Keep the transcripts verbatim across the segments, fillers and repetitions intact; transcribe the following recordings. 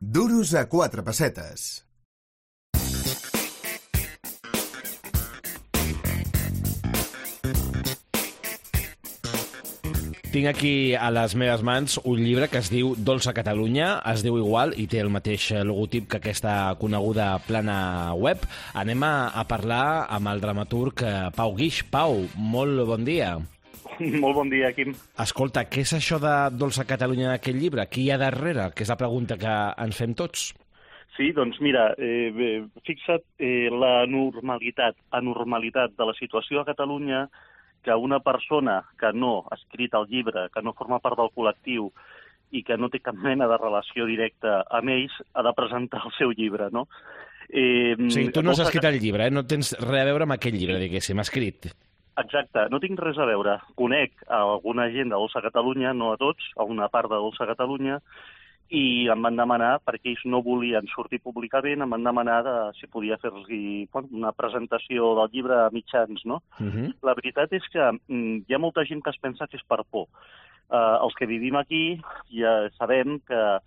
Duros a quatre pessetes. Tinc aquí a les meves mans un llibre que es diu Dolça Catalunya, es diu igual i té el mateix logotip que aquesta coneguda plana web. Anem a, a parlar amb el dramaturg Pau Guix. Pau, molt bon dia. Molt bon dia, Quim. Escolta, què és això de Dolça Catalunya en aquest llibre? Qui hi ha darrere? Que és la pregunta que ens fem tots. Sí, doncs mira, eh, fixa't eh, la normalitat, anormalitat de la situació a Catalunya, que una persona que no ha escrit el llibre, que no forma part del col·lectiu i que no té cap mena de relació directa amb ells, ha de presentar el seu llibre, no? Eh, sí, tu no has escrit el llibre, eh? No tens res a veure amb aquell llibre, diguéssim, escrit. Exacte, no tinc res a veure. Conec a alguna gent de Dolça Catalunya, no a tots, a una part de Dolça Catalunya, i em van demanar, perquè ells no volien sortir públicament, em van demanar de, si podia fer-los bueno, una presentació del llibre a mitjans, no? Uh -huh. La veritat és que mm, hi ha molta gent que es pensa que és per por. Uh, els que vivim aquí ja sabem que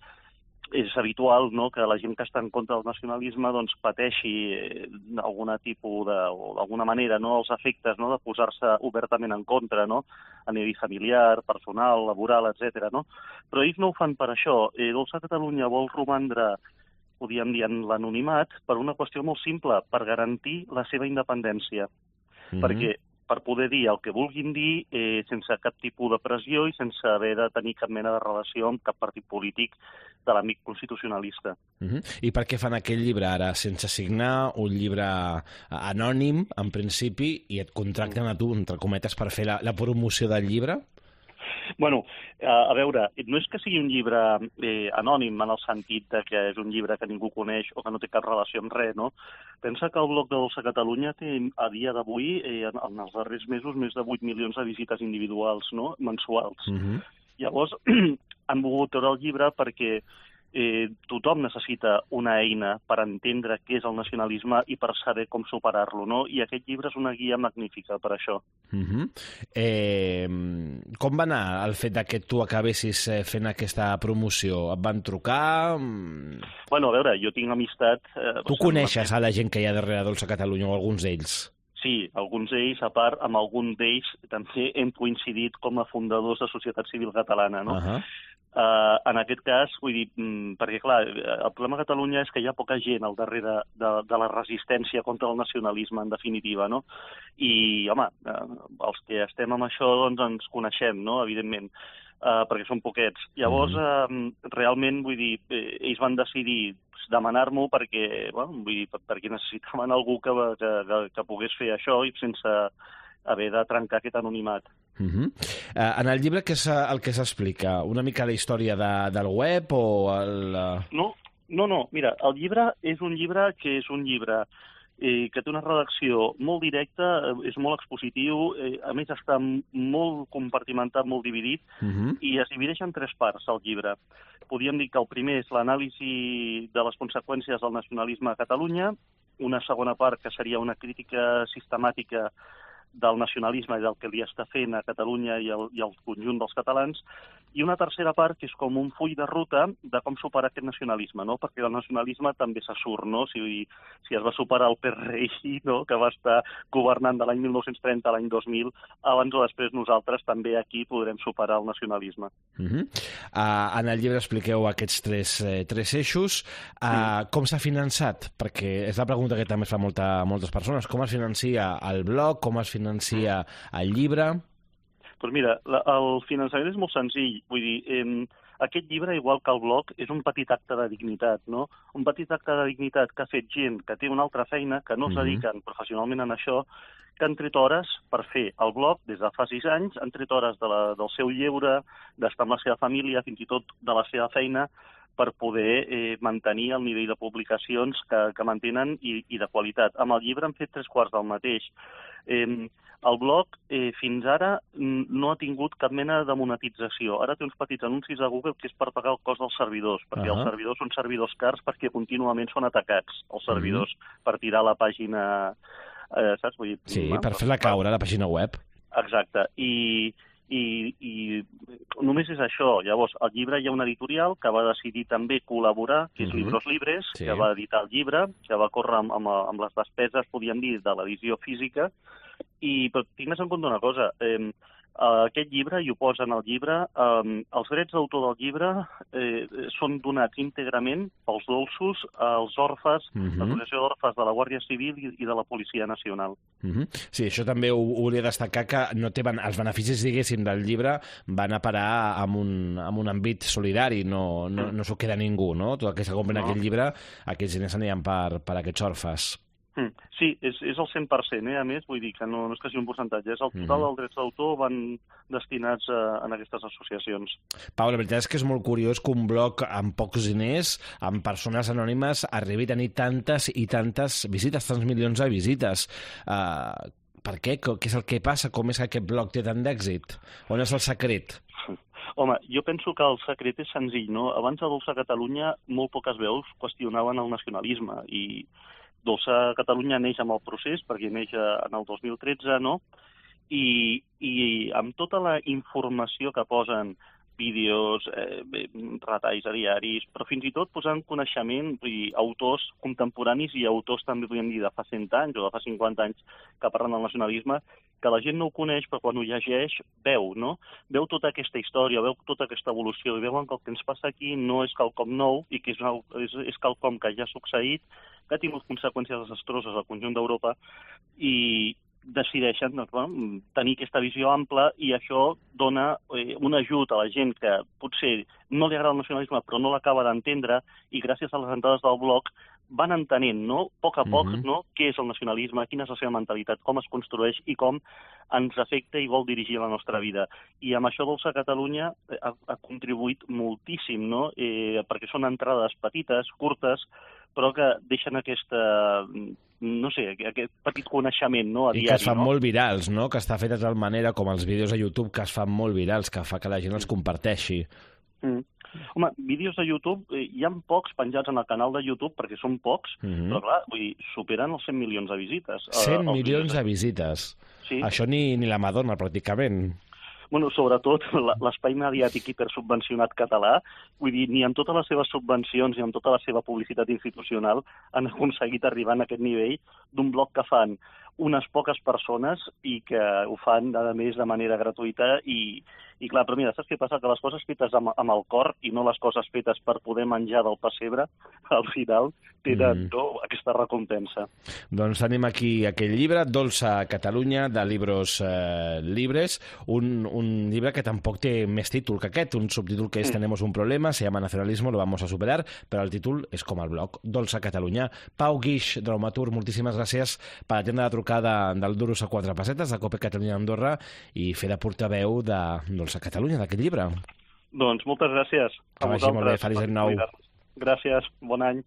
és habitual, no?, que la gent que està en contra del nacionalisme doncs, pateixi eh, d'alguna tipus de, o d'alguna manera, no?, els efectes, no?, de posar-se obertament en contra, no?, a nivell familiar, personal, laboral, etcètera, no? Però ells no ho fan per això. Eh, Dolça Catalunya vol romandre, podríem dir, en l'anonimat per una qüestió molt simple, per garantir la seva independència. Mm-hmm. Perquè per poder dir el que vulguin dir eh, sense cap tipus de pressió i sense haver de tenir cap mena de relació amb cap partit polític de l'àmbit constitucionalista. Uh-huh. I per què fan aquell llibre ara? Sense signar, un llibre anònim, en principi, i et contracten a tu, entre cometes, per fer la, la promoció del llibre? Bueno, a veure, no és que sigui un llibre eh, anònim en el sentit de que és un llibre que ningú coneix o que no té cap relació amb res, no? Pensa que el blog de Dolça Catalunya té a dia d'avui, eh, en, en els darrers mesos, més de vuit milions de visites individuals, no?, mensuals. Uh-huh. Llavors, han volgut treure el llibre perquè eh, tothom necessita una eina per entendre què és el nacionalisme i per saber com superar-lo, no? I aquest llibre és una guia magnífica per això. Uh-huh. eh, com va anar el fet que tu acabessis fent aquesta promoció? Et van trucar? Bueno, a veure, jo tinc amistat... Eh, tu coneixes a la gent que hi ha darrere Dolça Catalunya o alguns d'ells? Sí, alguns d'ells, a part, amb algun d'ells també hem coincidit com a fundadors de Societat Civil Catalana, no? Uh-huh. Uh, en aquest cas, vull dir, mm, perquè clar, el problema a Catalunya és que hi ha poca gent al darrere de, de la resistència contra el nacionalisme, en definitiva, no? I, home, uh, els que estem amb això, doncs, ens coneixem, no?, evidentment, uh, perquè són poquets. Llavors, uh, realment, vull dir, eh, ells van decidir demanar-m'ho perquè, bueno, vull dir, perquè necessitaven algú que, que, que, que pogués fer això i sense haver de trencar aquest anonimat. Uh-huh. uh, en el llibre què és el que s'explica? Una mica la història de, del web o el... Uh... No, no, no, mira, el llibre és un llibre que és un llibre eh, que té una redacció molt directa, és molt expositiu, eh, a més està molt compartimentat, molt dividit, uh-huh. i es divideix en tres parts el llibre. Podríem dir que el primer és l'anàlisi de les conseqüències del nacionalisme a Catalunya, una segona part que seria una crítica sistemàtica del nacionalisme i del que li està fent a Catalunya i el, i el conjunt dels catalans, i una tercera part que és com un full de ruta de com superar aquest nacionalisme, no? Perquè el nacionalisme també se surt, no? Si, si es va superar el P R I, no?, que va estar governant de l'any mil nou-cents trenta a l'any dos mil, abans o després nosaltres també aquí podrem superar el nacionalisme. Uh-huh. uh, en el llibre expliqueu aquests tres, eh, tres eixos. Uh, sí. Com s'ha finançat? Perquè és la pregunta que també es fa molta, moltes persones. Com es financia el blog? Com es financia el llibre? Doncs mira, la, el finançament és molt senzill. Vull dir, eh, aquest llibre, igual que el blog, és un petit acte de dignitat, no? Un petit acte de dignitat que ha fet gent que té una altra feina, que no es dediquen professionalment a això, que han tret hores per fer el blog des de fa sis anys, han tret hores de la, del seu lleure, d'estar amb la seva família, fins i tot de la seva feina, per poder eh, mantenir el nivell de publicacions que, que mantenen i, i de qualitat. Amb el llibre han fet tres quarts del mateix. Eh, el blog eh, fins ara no ha tingut cap mena de monetització. Ara té uns petits anuncis a Google que és per pagar el cost dels servidors, perquè uh-huh. els servidors són servidors cars perquè contínuament són atacats, els servidors, uh-huh. per tirar la pàgina... Eh, saps? Vull dir, sí, no? Per fer-la caure, la pàgina web. Exacte. I... I, i només és això. Llavors, al llibre hi ha una editorial que va decidir també col·laborar, que és Mhm. Libros Libres, Sí. que va editar el llibre, que va córrer amb, amb, amb les despeses, podríem dir, de l'edició física. I però tinc més en compte una cosa. Eh, aquest llibre, i ho posa en el llibre, eh, els drets d'autor del llibre eh, són donats íntegrament pels dolços als orfes, Mhm. l'Associació d'Orfes de la Guàrdia Civil i, i de la Policia Nacional. Mhm. Sí, això també ho, ho volia destacar, que no té, ben- els beneficis, diguéssim, del llibre van a parar amb un, amb un àmbit solidari, no, no, no s'ho queda ningú, no? Tot el que se compren No. aquest llibre, aquests diners aniran per, per aquests orfes. Mm. Sí, és, és el cent per cent, eh? A més, vull dir que no, no és que sigui un percentatge, és el total Mhm. dels drets d'autor van destinats a, a aquestes associacions. Pau, la veritat és que és molt curiós que un blog amb pocs diners, amb persones anònimes, arribi a tenir tantes i tantes visites, tants milions de visites. Uh, per què? Què és el que passa? Com és que aquest blog té tant d'èxit? On és el secret? Home, jo penso que el secret és senzill, no? Abans a Dolça Catalunya molt poques veus qüestionaven el nacionalisme i Dolça Catalunya neix amb el procés, perquè neix en el dos mil tretze, no? I, i amb tota la informació que posen, vídeos, eh, retalls a diaris, però fins i tot posant coneixement, vull dir, autors contemporanis i autors també, podríem dir, de fa cent anys o de fa cinquanta anys que parlen del nacionalisme, que la gent no ho coneix, però quan ho llegeix veu, no? Veu tota aquesta història, veu tota aquesta evolució, i veuen que el que ens passa aquí no és quelcom nou i que és, una, és, és quelcom que ja ha succeït, que ha tingut conseqüències desastroses al conjunt d'Europa i decideixen doncs, bueno, tenir aquesta visió ampla i això dona eh, un ajut a la gent que potser no li agrada el nacionalisme però no l'acaba d'entendre i gràcies a les entrades del blog van entenent, no? A poc a poc, Mhm. no? Què és el nacionalisme, quina és la seva mentalitat, com es construeix i com ens afecta i vol dirigir la nostra vida. I amb això Dolça Catalunya ha, ha contribuït moltíssim, no? Eh, perquè són entrades petites, curtes, però que deixen aquesta, no sé, aquest petit coneixement, no? A I diari, que es fan no? molt virals, no? Que està fet de tal manera com els vídeos a YouTube que es fan molt virals, que fa que la gent els comparteixi. Mm. Home, vídeos de YouTube, eh, hi ha pocs penjats en el canal de YouTube, perquè són pocs, Mhm. però clar, vull dir, superen els cent milions de visites. eh, cent els milions vídeos de visites. Sí. Això ni, ni la Madonna, pràcticament. Bueno, sobretot la- l'espai mediàtic hipersubvencionat català, vull dir, ni amb totes les seves subvencions ni amb tota la seva publicitat institucional han aconseguit arribar a aquest nivell d'un blog que fan unes poques persones i que ho fan, a més, de manera gratuïta i, i clar, però mira, saps què passa? Que les coses fetes amb, amb el cor i no les coses fetes per poder menjar del pessebre, al final tenen Mm. no, aquesta recompensa. Doncs tenim aquí aquell llibre, Dolça Catalunya, de Libros eh, Libres, un, un llibre que tampoc té més títol que aquest, un subtítol que és Tenemos un problema, se llama Nacionalismo, lo vamos a superar, però el títol és com el blog, Dolça Catalunya. Pau Guix, dramaturg, moltíssimes gràcies per atendre la trucada del Duros a quatre pessetes, de Cope Catalunya Andorra, i fer de portaveu de Dolça Catalunya, d'aquest llibre. Doncs moltes gràcies. Que vagi molt bé, feliç any nou. Gràcies, bon any.